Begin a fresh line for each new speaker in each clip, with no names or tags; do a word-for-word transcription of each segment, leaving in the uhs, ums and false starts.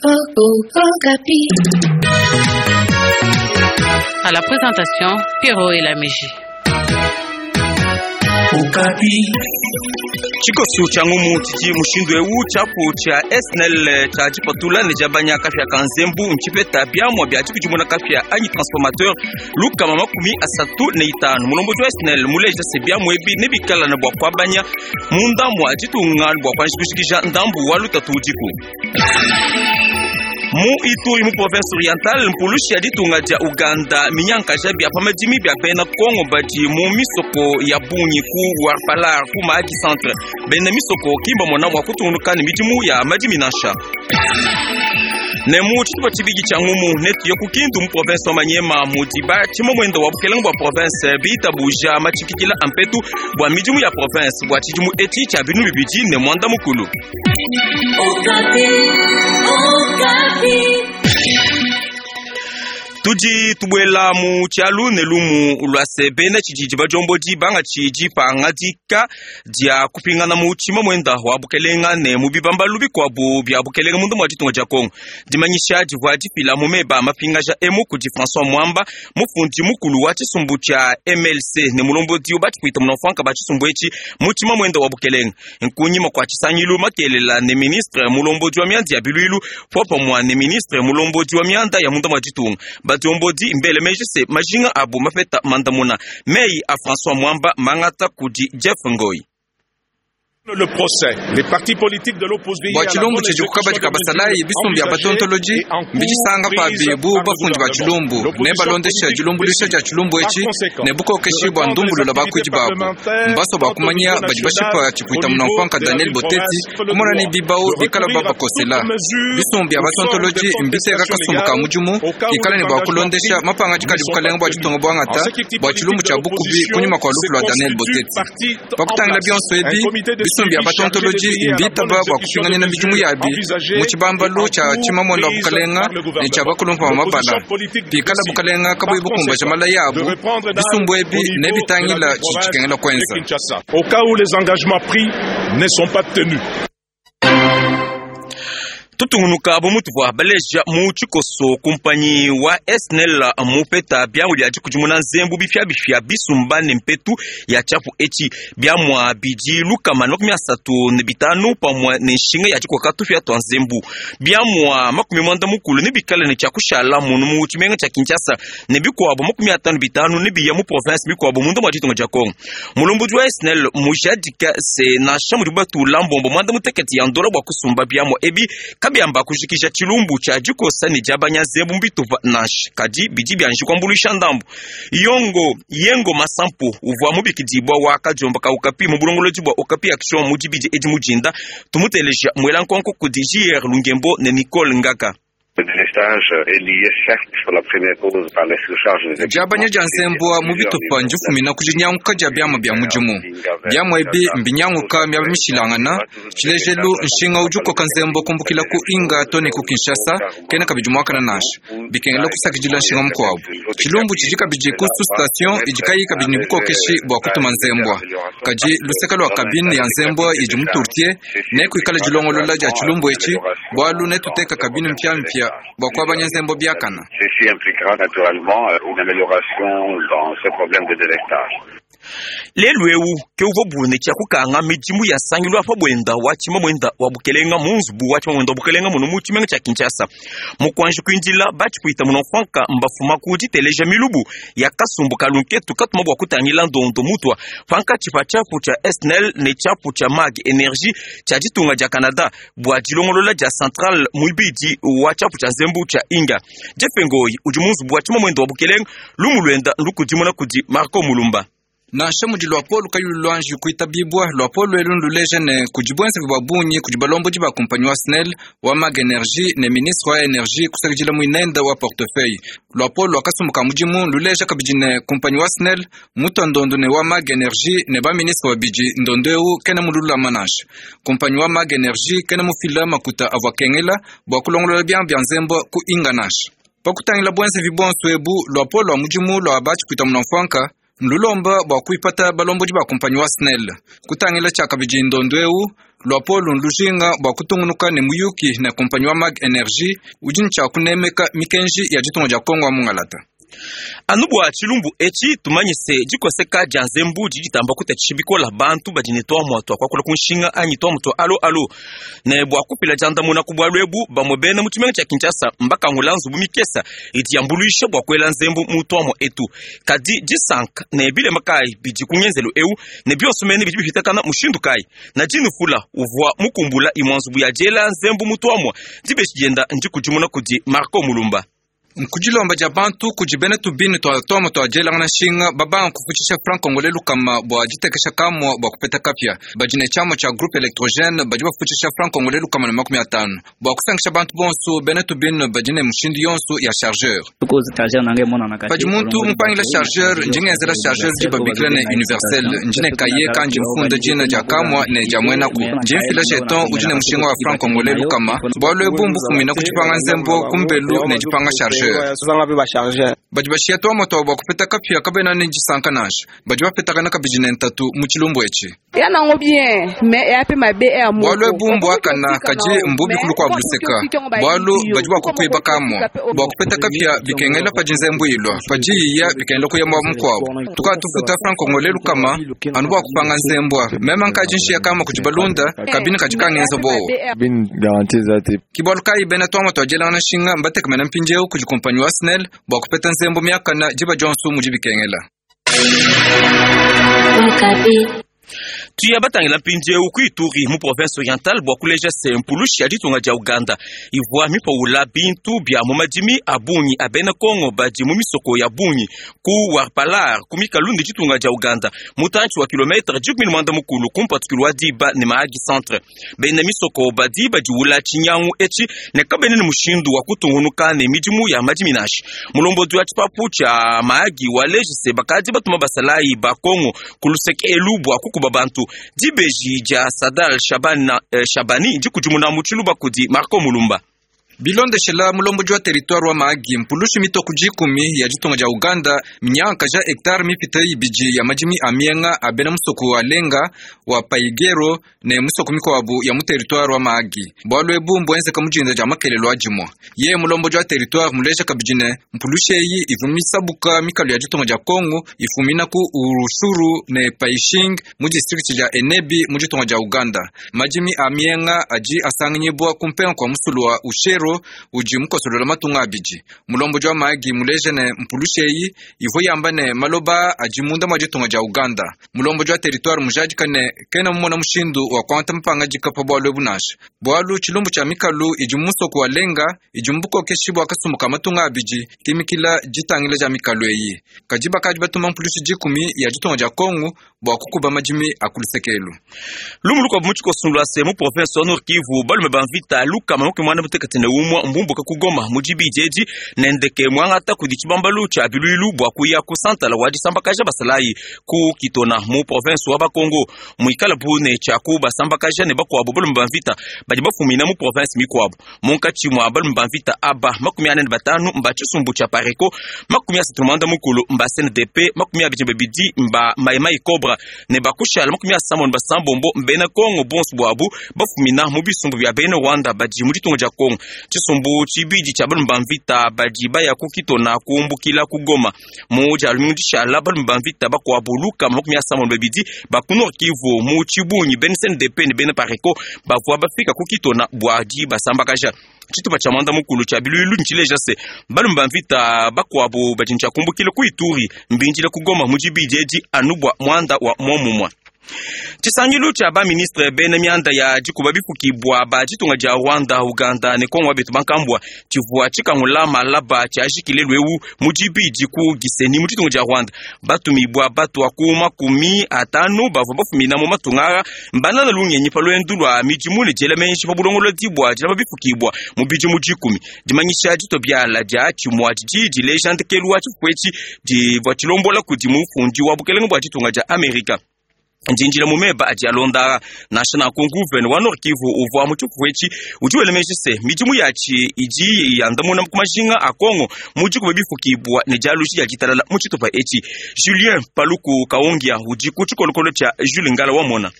À la présentation, Pierrot et la Mégie.
Tshikosu tshia ngumu tshidi mushindu ewu tshiapu tshia S N L tshia tshipatula ne diabanya kapia ka nzembu ntshipeta biamua bia tshikudimuna kapia anyi transformateur lukama makumi asatu ne itanu. Mulombodi wa S N L muleja se biamua ebi nebikala ne bua kuabanya munda mua ditunga bua kuanji kushikija ndambu wa lutatu udiku. Mu Ituri, mu province Orientale, mpulushi ya ditunga dia Uganda minyankaja bia pa madimi bia bena Kongo badi mu misoko ya bungi ku Warpalar, ku Mahagi centre. Bena misoko kimba mona mua kutungunuka ne midimu ya madimi nansha. Ne mu tshitupa tshibidi tshia ngumu, netuye ku Kindu, mu province wa Manyema, mudi batshima mwenda wa bukelenge bua province bitabuja matshikikila ampetu bua midimu ya province bua tshidimu etshi tshia binu bibidi ne mwanda mukulu. Tudi tubuela mu tshialu ne lumu lua se bena tshididi badiombodi bangatshi dipangadika dia kupingana mu tshima mwenda wa bukelenga ne mu bibambalu bikuabu bia bukelenga munda mua ditunga dia Kongo. Dimanyisha divua difila mu meba mapingaja emu kudi François Mwamba, mufundi mukulu wa tshisumbu tshia M L C ne mulombodi batshikuita munamfuanka ba tshisumbu etshi mu tshima mwenda wa bukelenga, nkunyima kua tshisangilu makelela ne ministre mulombodi wa mianda ya biluilu popamua ne ministre mulombodi wa mianda ya munda mua ditunga. Badiombodi mbele meji se majinga abu mapeta mandamuna. Meyi a François Mwamba mangata kudi Jeff Ngoi.
Le procès. Les partis politiques de l'opposition
Bua tshilumbu tshidi kukabadi ka basalayi, bisumbu bia batontoloji mbidisanga pabi bu bafundi ba tshilumbu ne balondesha dilumbuluisha dia tshilumbu etshi ne bukokeshi bua ndumbulula bakuidi babu. Mbaso bua kumanya badi bashipa tshipuita munamfuanka Daniel Boteti kumona ne bibau bikala babakosela. Bisumbu bia batontoloji mbiteka kasumbu ka mudimu kikala ne bua kulondesha mapangadika adi bukalenga bua ditunga buangata bua tshilumbu tshia bukubi kunyima kua lufu lua Daniel Boteti. Pakutangila bionso ebi, bisumbu bia batontoloji mbitaba bua kupinganina midimu yabi mu tshibambalu tshia tshimamuenda wa bukalenga ne tshia bakulumpa ba mabala. Pikala bukalenga kabuyi bukumbaja mala yabu, bisumbu ebi nebitangila tshidi tshikengela kuenza.
Au cas où les engagements pris ne sont pas tenus.
Tutungunuka bu mutuvua baleja mu tshikoso, kumpanyi wa S N L mupeta biamu bia dikudimuna nzembu bifiabifia bisumba ne mpetu ya tshiapu etshi. Biamua bidi lukama na makumi asatu ne bitanu pamue ne nshinga ya dikoka tupia tua nzembu. Biamua makumi mwanda mukulu ne bikale ne tshiakushala munu mu tshimenga tshia Kinshasa, ne bikuabu makumi atanu bitanu ne biya mu province mikuabu munda mua ditunga dia Kongo. Mulombodi wa S N L mujadika se nansha mudi batula mbombo mwanda mutekete ya ndola bua kusumba biamua ebi, kabiamba kujikija tshilumbu tshia dikosa ne diabanya nzembu mbitupa nansha, kadi bidi bianji kuambuluisha ndambu. Yongo Yengo Masampu uvua mubikidibwa wa kadiomba ka Okapi mu bulongolodi bua Okapi Action mu dibidi edi mujinda. Tumuteleja muela nkonko kudi J R Lungembo ne Nicole Ngaka.
Le délestage est lié certes sur la première cause par les surcharges des
Diabanya dia nzembu mu bitupa ndifumina ku dinyanguka dia biamua bia mudimu. Biamua ebi mbinyanguka miaba mishilangana. Tshilejelu, nshinga udi ukoka nzembu kumbukila ku Inga to ne ku Kinshasa kena kabidi muakana nansha, bikengela kusakidila nshinga mukuabu. Tshilumbu tshidi kabidi ku sous-station idi kayi kabidi ne bukokeshi bua kutuma nzembua. Kadi luseke lua cabine ya nzembua idi mu Turtie ne kuikala dilongolola dia tshilumbu etshi, bualu netuteka cabine mpiampia bua kuabanya nzembo biakana.
Ceci impliquera naturellement une amélioration dans ce problème de délestage.
Lelu ewu ke uvua bune tshia kukanga midimu ya sangilu apa bwenda wa tshima mwenda wa bukelenga mu nzubu wa tshima mwenda wa bukelenga muno mu tshimenga tshia Kinshasa. Mukuanji kuindila, batshikuita munamfuanka mbafuma ku diteleja milubu ya kasumbu kalunketu katuma bua kutangila ndondo mutua pankatshi pa tshiapu tshia S N L ne tshiapu tshia MAG Energie tshia ditunga dia Canada bua dilongolola dia centrale muibidi wa tshiapu tshia nzembu tshia Inga. Jeff Ngoi udi mu nzubu wa tshima mwenda wa bukelenga. Lumu luenda ndukudimuna kudi Marco Mulumba.
Nansha mudi luapolo kayi luanji kuitabibwa, luapolo elu nduleja ne kudi buenzevi bua bungi kudi balombodi ba kumpanyi wa S N E L, wa MAG Energie ne ministre wa energie kusakidila muinenda wa portefeuille. Luapolo lua kasumbu ka mudimu luleja kabidi ne kumpanyi wa S N E L mutua ndondo ne wa MAG Energie ne baministre babidi, ndondo eu kena mululama nansha. Kumpanyi wa MAG Energie kena mufila makuta avua kengela bua kulongolola biamua bia nzembu ku Inga nansha. Pakutangila buenzevi bonso ebu, luapolo lua mudimu lua batshikuita munamfuanka. Nlulomba bua kuipata balombodi ba kumpanyi wa SNEL kutangila tshiakabidi ndondo eu luapolo nlujinga bua kutungunuka ne muyuki ne kumpanyi wa Mag Energy udi ntshia kunemeka mikenji ya ditunga dia Kongo wa mungalata.
Anu bua tshilumbu etshi tumanyise dikoseka dia nzembu didi ditamba kutatshisha bikola bantu badi ne tuamua tua kuakula ku nshinga anyi tuamua tua alo alo ne bua kupila diandamuna ku bualu ebu bamue bena mu tshimenga tshia Kinshasa mbakangula nzubu mikesa idi yambuluisha bua kuela nzembu mu tuamua etu kadi disanka ne bilema kayi bidi ku ngenzelu eu ne bionso mene bidi bipitakana mushindu kayi na dinufula uvua mukumbula imua nzubu ya diela nzembu mu tuamua dibeshi dienda ndikudimuna kudi Marco Mulumba.
Nkudilomba dia bantu kudi bena tubini twa twama twa dielangana nshinga babanga kufutshisha franc congolais lukama bua ditekesha kamua bua kupeta kapia badi ne tshiamua tshia groupe électrogène badi bafutshisha franc congolais lukama na makumi atanu bua kusangisha bantu bonso bena tubini badi ne mushindu yonso ya chargeur padi muntu mupangila chargeur ndingenzela chargeur di babikila ne universel ndine kaye kandi mfunda dina dia kamua ne dia muenaku ndi mfila jeton udi ne mushinga wa franc congolais lukama bualu ebu mbufumina ku dipanga nzembo kumbelu ne dipanga chargeur badi bashiya twamua twabo bua kupeta kapia kabena ne disanka nansha badi bapetakana kabidi ne ntatu mu tshilumbu etshi bualu ebu mbuakana kadi mbubi kulu kua buluseka bualu badi bua kukuiba kamua bua kupeta kapia bikengela padi nzembu ilua padi iya bikengela kuya muaba mukuabu tukatufuta franc congolais lukama anu bua kupanga nzembua mema nkadi nshiya kama kudi balunda kabini kadi kangenza bowa kibualu kayi bena twamua twadielangana nshinga mbatekamena mpindieu kudi kumpanyi wa SNEL bua kupeta nzembo miakana diba dionso mudi bikengela.
Tuya batangila mpindieu ku Ituri mu province orientale bua kuleja se mpulushi ya ditunga dia Uganda ivua mipawula bintu bia mu madimi a bungi a bena Kongo badi mu misoko ya bungi ku Warpalar ku mikalu ne ditunga dia Uganda mutantshi wa kilometre dikumi ne muanda mukulu ku mpatukilu wa diba ne Mahagi centre. Bena misoko badi badiwula tshinyangu etshi ne kabene ne mushindu wa kutungunuka ne midimu ya madimi nashi. Mulombodi wa tshipapu tshia Mahagi waleji se bakadi batuma basalayi ba Kongo ku luseke elu bua kukuba bantu. Dibeji dia Sadal Shabana, eh, Shabani ndikudimuna mu tshiluba kudi Marco Mulumba.
Bilondeshela mulombodi wa territoire wa Mahagi mpulushi mitoku dikumi ya ditunga dia Uganda minyanka ja hectare mipite ibidi ya madimi a mienga a bena musoko wa Lenga wa Paigero ne musoko mikuabu ya mu territoire wa Mahagi bualu ebu mbuenzeka mu dinda dia makelelo a dimua ye mulombodi wa territoire muleja kabidi ne mpulushi eyi ivu misabuka mikalu ya ditunga dia Kongo ifumina ku Urushuru ne Paishing mu district dia Enebi mu ditunga dia Uganda madimi a mienga adi asanganyibwa ku mpenga kua musulu wa Ushero udi mukosolola matunga abidi mulombodi wa Mahagi muleja ne mpulushi eyi ivu yamba ne maloba adi munda mua ditunga dia Uganda mulombodi wa territoire mujadika ne kena mumona mushindu wa kuangata mpangadika pa bualu ebu nansha bualu tshilumbu tshia mikalu idi musoko wa Lenga idi mubukokeshi bua kasumbu ka matunga abidi kimikila ditangila dia mikalu eyi kadi bakadi batuma mpulushi dikumi ya ditunga dia Kongo bua kukuba madimi a kulusekelu.
Lumu lukuabu mu tshikosundu se mu province wa Nord Kivu balume ba mvita lukama makumi muanda mutekete ne umua mbumbuka ku Goma mu dibidi edi nendeke muangata kudi tshibambalu tshia biluilu bua kuya ku santala wa disambakaja basalayi ku Kitona mu province wa Bakongo muikala bune tshia ku basambakaja ne bakuabu balume ba mvita badi bafumina mu province mikuabu munkatshi mua balume ba mvita aba makumi ane ne batanu mba tshisumbu tshia Pareko makumi asatu ne muanda mukulu mba C N D P makumi abidi ne babidi mba Maimai Cobra ne bakushala makumi asambombo ne basambombo mbena Kongo bonso buabu bafumina mu bisumbu bia bena Rwanda badi mu ditunga dia Kongo. Tshisumbu tshibidi tshia balume ba mvita badi baya ku Kitona kumbukila ku Goma mu dia lumingu dishala balume ba mvita bakuabu lukama makumi asambombo ne babidi ba ku Nord Kivu mu tshibungi bena C N D P ne bena Pareko bavua bafika ku Kitona bua dibasambakaja. Tshitupa tshia muanda mukulu tshia biluilu ntshileja se balume ba mvita bakuabu badi ntshiakumbukile ku Ituri mbindile ku Goma mu dibidi edi anu bua muanda wa muomumue. Tshisangilu tshia ba ministre bena mianda ya dikuba bifukibwa ba ditunga dia Rwanda, Uganda ne Kongo betu bankambwa tshivua tshikangula malaba tshiajikile lweu mu dibidi ku Gisenyi mu ditunga dia Rwanda. Batumibwa batua ku makumi atanu bavua bafumina mu matunga mbanana lungenyi pa lwendu lwa midimu ne diela menji pa bulongolodi bua dilama bifukibwa mu bidimu dikumi. Dimanyisha ditobiala dia tshimua didi dileja ndekelu wa tshifufu etshi divua tshilombola kudi mufundi wa bukelenge bua ditunga dia Amerika. Njinjila mu meba adi alonda nansha nanku nguvene wa Nord Kivu uvua mu tshifufu etshi udi wela meji se midimu yatshi idi yandamuna ku majinga a Kongo mu dikuba bifukibwa ne dialuji dia ditalala mu tshitupa etshi. Julien Paluku Kaongia udi ku tshikolokolo tshia Jules Ngala wamona.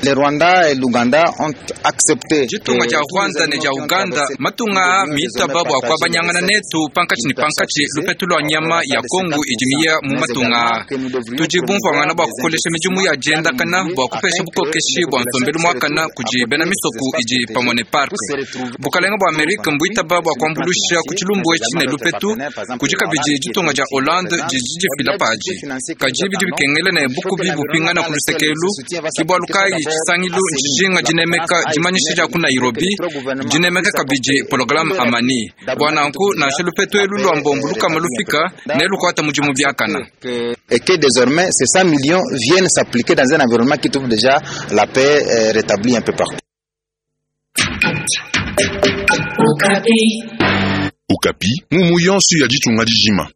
Le Rwanda et l'Ouganda ont accepté.
Ditunga dia Rwanda ne dia Uganda matunga mitaba bua kuabanyangana netu pankatshi ne pankatshi lupetu lua nyama ya Kongo idi miya mu matunga. Tudi bumvuangana bua kukolesha midimu ya diendakana bua kupesha bukokeshi bua nsombelu muakana kudi bena misoku idi pamue ne park. Bukalenga bua Amerika mbuitaba bua kuambulusha ku tshilumbu etshi ne lupetu kudi kabidi ditunga dia Hollande didi difila padi. Kadi bidi bikengela ne bukubi bupingana ku lusekelu ke bualu kayi Sangilu njinga dinemeka dimanyisha dia ku Nairobi dinemeka kabidi programme Amani bua nanku nansha lupetu elu lua mbombo lukama lufika ne lukuata mudimu biakana.
Et que désormais ces cent millions viennent s'appliquer dans un environnement qui trouve déjà la paix euh, rétablie un peu partout.
Okapi, mumu yonso ya ditunga dijima.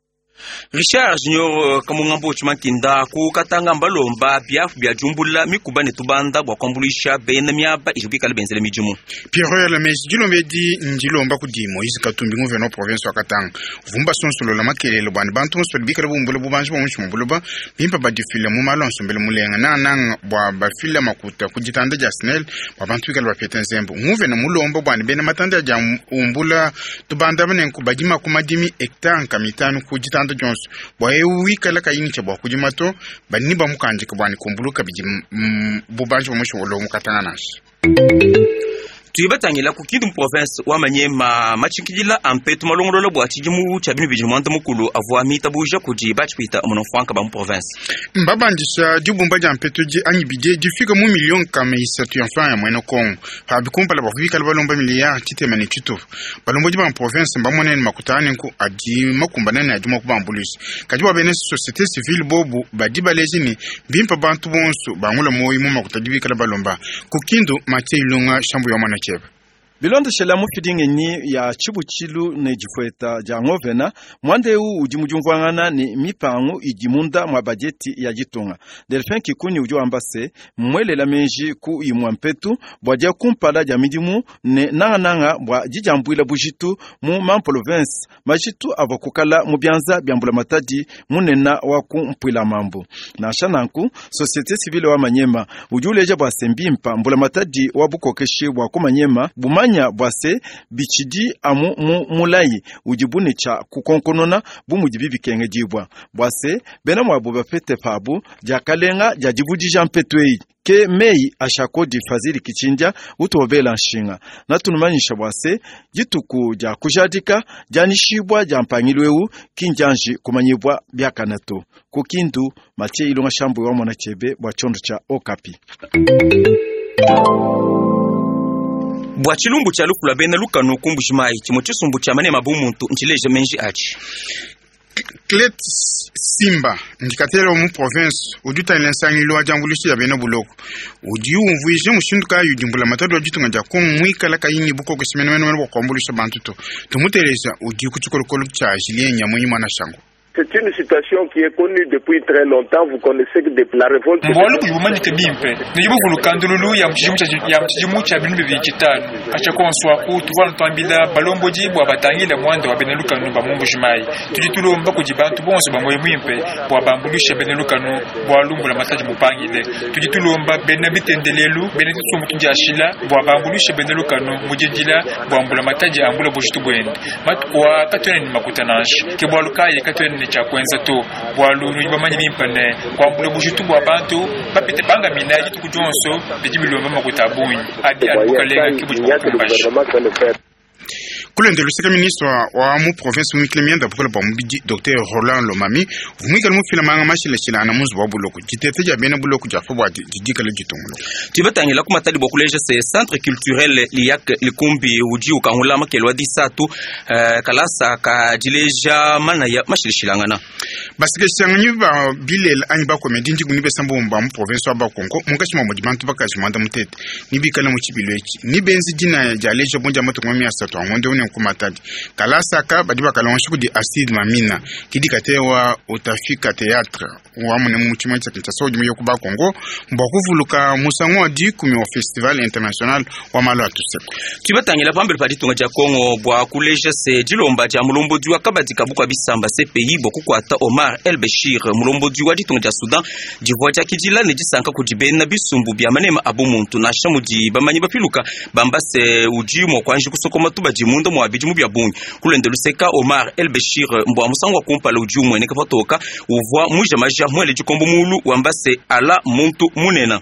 Richard Junior Kamungambo Chimankinda ku katanga mbalomba biafu bia jumbula mikuba ne tubanda bua kuambulisha bena miaba ijibikala benzele midimu.
Pierre Lamesi dilombe di ndilomba kudi Moise Katumbi nguvena wa province wa Katanga vumba sonsolola makelele bwani bantu bonso bikala bumbula bubanji bwa mushi mubuluba bimpa badifile mu malo nsombele mulenga nananga bwa bafila makuta ku ditanda dia SNEL bwa bantu bikala bapeta nzembo nguvena mulomba bwani bena matanda dia umbula tubanda banenku badima ku madimi hectare nkamitanu ku ditanda dionso bwa eu wikala kayincha bwa kudimato bani bamukanjika bwani kumbuluka bidi bubanji bwa mushi mu Katanga nashi.
Tuyibatangila ku Kindu province wa Manyema machinkidila ampetu malongolola bwa tshidimu tshia binu bidi mwanda mukulu avua mitabuja kudi batshipita munofranka ba mu province.
Mbabandisha dibumba dia mpetu di anyi bidie difika mu million kama isatu ya franc ya mwene Kongo pabi kumpala bavubikala balomba miliyari tshitema ne tshitupa balomba di ba province mbamonene makutane nku adi makumbana ne adi mwakubambuluisha kadi bwa bene société civile bobu badi baleji ne bimpa bantu bonso bangula moyi mu makuta dibikala balomba ku Kindu Mathieu Ilunga shambu ya mwana chebe.
Bilondeshela mufidingenyi ya tshibutshilu ne difueta dia ngovena mwanda eu udi mujumvuangana ne mipangu idi munda mwa bajeti ya ditunga. Delphin Kikuni udi wamba se mwelela menji ku imwa mpetu bua dia kumpala dia midimu ne nangananga bua dijambuila bujitu mu mamprovince majitu avua kukala mu bianza bia mbulamatadi munena wa kumpuila mambu. Nansha nanku société civile wa Manyema udi uleja bua se mbimpa mbulamatadi wa bukokeshi bua ku Manyema bumanya bwase bichidi amu mu mulayi udi cha kukonkonona bu mudi bibikengedibwa bwase bena mwabo bapete pabu diakalenga dia divudija mpetu eyi ke meyi ashakodi Fazili Kichindia utobela nshinga natunumanyisha bwase dituku dia kujadika dianishibwa dia mpangilu eu kinjanji kumanyibwa biakanato ku Kindu. Mathieu Ilunga Shambu wa mwana chebe bwa chondo cha Okapi.
Bwa tshilumbu tshia lukula bena lukanu kumbujimayi tshimue tshisumbu tshia manema bumuntu ntshileja menji atshi.
Clet Simba ndikatela mu province udi utangila nsangilu wa diambuluisha dia bena buloko udi umvuija mushindu kayi udi mbulamatadi wa ditunga dia Kongo muikala kayinyi bukokeshi menemene bua kuambuluisha bantu to tumuteleza udi ku tshikolokolo tshia Julien Nyamunyi mwana shango.
C'est une situation qui est connue depuis très longtemps. Vous connaissez que depuis la révolte.
Mbwalu kujibumanyike bimpe nijibuvulu kandululu ya mchijimu cha binu bibili chitano achakonso tuvala twambila balombodi bwa batangila mwanda wa benelukanu ba mumbujimayi tudi tulomba kudi bantu bonso ba moyo mwimpe bwa bambulisha benelukanu bwa lumbula mataji mupangile tudi tulomba bena bitendelelu bena tsumbu tudiashila bwa bambulisha benelukanu mujidila bwa mbula mataji ambula bujitu bwende matukwa katwene ni makutananshi ke bwalu kaye katwene cha kwenza to bwalu bamanyi bimpane kwambula bujitu bwa bantu bapite banga minaji tukujonso bijibilomba makuta bunyi abi abukalenga kibuji kukumbasha
Kulende lusika ministre wa mu province mwikile mienda bukole bwa mubidi Docteur Roland Lomami vumwikale mufila manga mashilashila ana muzu wa buloko jitete ja bena buloko ja fobwa didikale jitungulo
tibatangila ku matali bwa kuleja se centre culturel liyak likumbi udi ukangula makelo disatu uh, kalasa ka dileja mana ya mashilashilangana
basikeshanganyi ba bilela anyi bakomedi ndiku nibesambo ba mu province wa Bakongo munkashi mwa mudi bantu bakaji mwanda mutete nibikala mu chibilo echi nibenzi dina ja leja bonja matungo mi asatu angonde une tanu ku Matadi. Kalasa aka badi bakalongesha kudi Acide Mamina kidi katewa Utafika Théâtre wa mune mu tshimue tshia Kinshasa udi muye ku Bakongo mbwa kuvuluka musangu wa dikumi wa Festival International wa malu a tuseko.
Tubatangila pambele pa ditunga dia Kongo bua kuleja se dilomba dia mulombodi wa kabadi kabuka bisamba C P I bua kukuata Omar El Bashir mulombodi wa ditunga dia Sudan divua dia kidila ne disanka kudi bena bisumbu bia manema abu muntu nansha mudi bamanyi bapiluka bamba se udi mua kuanji kusokoma tubadi munda mua bidimu bia bungi. Kulende luseka Omar El Bashir mbwa musangu wa kumpala udi umueneka patoka uvua muja maja muele dikombo mulu wamba se ala muntu munena.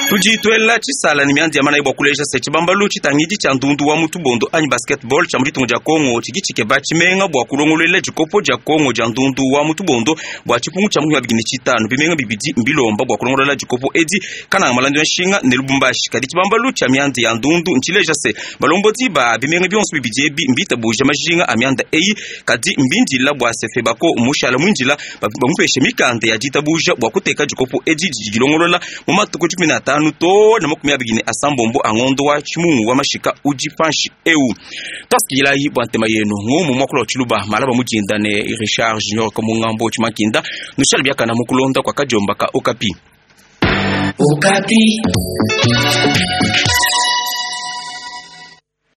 Tudi twela tshisala ni miandi ya mana ibwa kuleja se tshibambalu tshitangidi tshia ndundu wa mutubondo anyi basketball tshia muditunga dia Kongo tshidi tshikeba tshimenga bua kulongololela dikopo dia Kongo dia ndundu wa mutubondo bua tshipungu tshia makumi abidi ne tshitanu bimenga bibidi mbilomba bua kulongolola dikopo edi kananga malandi ya nshinga ne Lubumbashi. Kadi tshibambalu tshia miandi ya ndundu ntshileja se balombodi ba bimenga bionso bibidi ebi mbitabuja majinga a mianda eyi kadi mbindila bua se Febako mushala mwinjila bamupeshe mikanda ya ditabuja bua kuteka dikopo edi didi dilongolola mu matuku dikumi na atanu to na makumi abidi ne asambombo angondo wa chimungu wa mashika udi panshi eu. Twasikilayi bua ntema yenu ngumu mwakula wa tshiluba malaba mujinda ne Richard Junior Kamungambo Chimakinda nushali biakana mukulonda kwa kajomba ka Okapi.
Okapi.